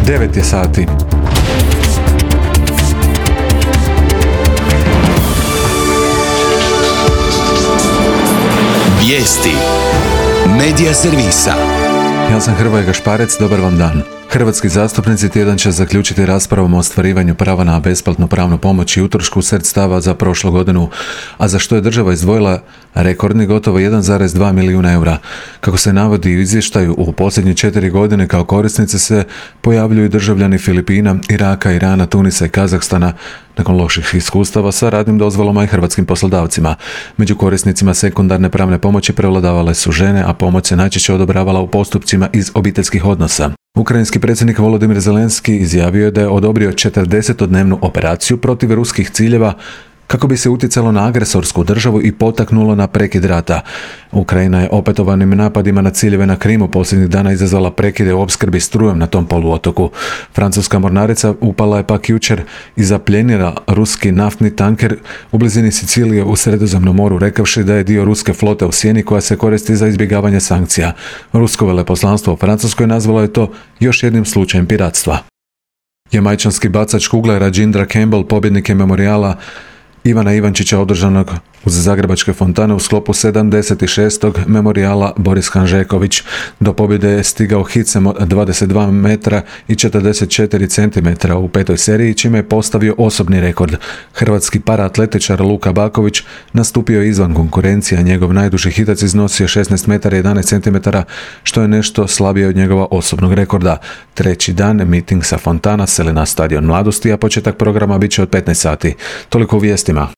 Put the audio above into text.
9 je sati. Vijesti Medija servisa. Ja sam Hrvoje Gašparec, dobar vam dan. Hrvatski zastupnici tjedan će zaključiti raspravom o ostvarivanju prava na besplatnu pravnu pomoć i utrošku sredstava za prošlu godinu, a za što je država izdvojila rekordni gotovo 1,2 milijuna eura. Kako se navodi u izvještaju, u posljednje 4 godine kao korisnici se pojavljuju državljani Filipina, Iraka, Irana, Tunisa i Kazahstana nakon loših iskustava sa radnim dozvolama i hrvatskim poslodavcima. Među korisnicima sekundarne pravne pomoći prevladavale su žene, a pomoć se najčešće odobravala u postupcima iz obiteljskih odnosa. Ukrajinski predsjednik Volodymyr Zelenski izjavio je da je odobrio 40-dnevnu operaciju protiv ruskih ciljeva kako bi se utjecalo na agresorsku državu i potaknulo na prekid rata. Ukrajina je opetovanim napadima na ciljeve na Krimu posljednjih dana izazvala prekide u opskrbi strujom na tom poluotoku. Francuska mornarica upala je pak jučer i zapljenila ruski naftni tanker u blizini Sicilije u Sredozemnom moru, rekavši da je dio ruske flote u sjeni koja se koristi za izbjegavanje sankcija. Rusko veleposlanstvo u Francuskoj nazvalo je to još jednim slučajem piratstva. Jamajčanski bacač kugle Rajindra Campbell pobjednik je memorijala Ivana Ivančića održanog uz Zagrebačke fontane u sklopu 76. memorijala Boris Hanžeković. Do pobjede je stigao hicem od 22 metra i 44 cm u 5. seriji, čime je postavio osobni rekord. Hrvatski paraatletičar Luka Baković nastupio izvan konkurencije, a njegov najduži hitac iznosio 16 metara i 11 cm, što je nešto slabije od njegova osobnog rekorda. Treći dan miting sa fontana seli na stadion Mladosti, a početak programa bit će od 15 sati. Toliko u vijestima.